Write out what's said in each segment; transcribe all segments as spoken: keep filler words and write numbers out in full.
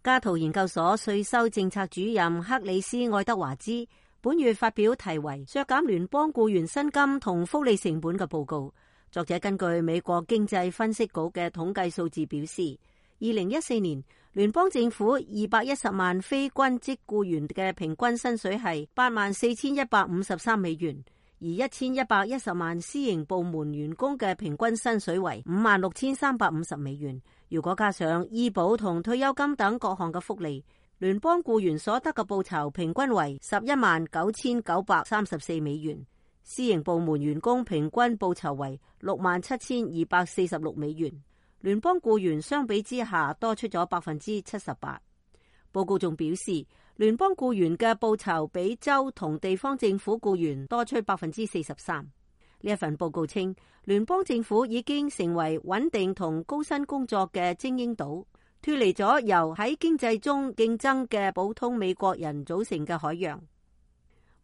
加圖研究所稅收政策主任克里斯愛德華茲本月發表題為《削減聯邦僱員薪金同福利成本》嘅報告。作者根據美國經濟分析局嘅統計數字表示，二零一四年聯邦政府二百一十萬非軍職僱員嘅平均薪水係八萬四千一百五十三美元，而一千一百一十萬私營部門員工嘅平均薪水為五萬六千三百五十美元。如果加上醫保同退休金等各項嘅福利，聯邦僱員所得嘅報酬平均為十一萬九千九百三十四美元，私營部門員工平均報酬為六萬七千二百四十六美元。聯邦僱員相比之下多出咗百分之七十八。報告仲表示，聯邦僱員嘅報酬比州同地方政府僱員多出百分之四十三。呢一份報告稱，聯邦政府已經成為穩定同高薪工作嘅精英島，脫離咗由喺經濟中競爭嘅普通美國人組成嘅海洋。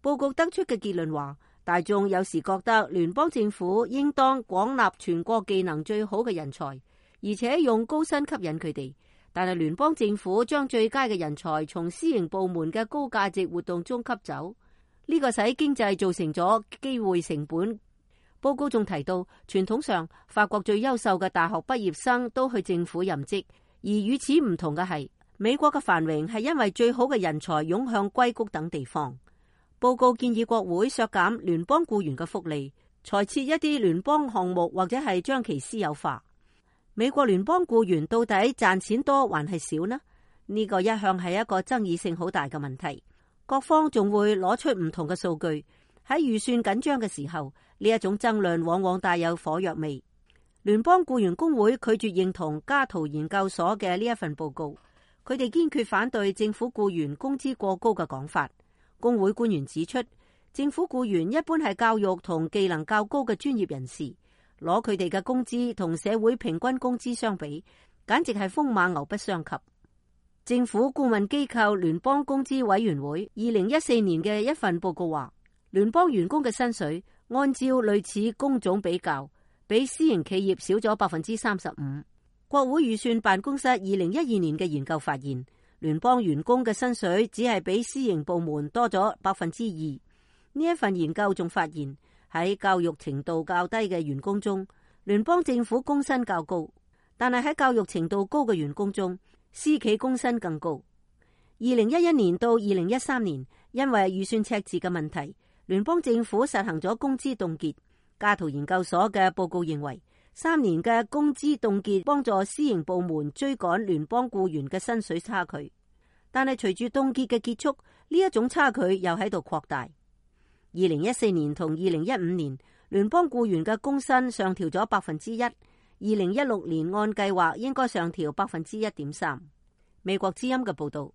報告得出嘅結論話，大眾有時覺得聯邦政府應當廣納全國技能最好嘅人才，而且用高薪吸引佢哋。但係聯邦政府將最佳嘅人才從私營部門嘅高價值活動中吸走，呢個使經濟造成咗機會成本。報告仲提到，傳統上法國最優秀嘅大學畢業生都去政府任職，而與此唔同嘅係，美國嘅繁榮係因為最好嘅人才湧向硅谷等地方。報告建議國會削減聯邦僱員嘅福利，裁撤一啲聯邦項目或者係將其私有化。美國聯邦僱員到底賺錢多還係少呢？呢個一向係一個爭議性好大嘅問題。各方仲會攞出唔同嘅數據。喺預算緊張嘅時候，呢一種爭論往往帶有火藥味。聯邦僱員工會拒絕認同加圖研究所嘅呢一份報告，佢哋堅決反對政府僱員工資過高嘅講法。工會官員指出，政府僱員一般係教育同技能較高嘅專業人士，攞佢哋嘅工資同社會平均工資相比，簡直係風馬牛不相及。政府顧問機構聯邦工資委員會二零一四年嘅一份報告話，聯邦員工嘅薪水按照類似工種比較，比私營企業少咗百分之三十五。國會預算辦公室二零一二年嘅研究發現，聯邦員工嘅薪水只係比私營部門多咗百分之二。呢一份研究仲發現，喺教育程度較低嘅員工中，聯邦政府工薪較高，但係喺教育程度高嘅員工中，私企工薪更高。二零一一年到二零一三年，因為預算赤字嘅問題，聯邦政府實行咗工資凍結。加圖研究所嘅報告認為，三年嘅工資凍結幫助私營部門追趕聯邦僱員嘅薪水差距，但係隨住凍結嘅結束，呢一種差距又喺度擴大。二零一四年同二零一五年，聯邦僱員嘅工薪上調咗百分之一，二零一六年按計劃應該上調百分之一點三。美國之音嘅報道。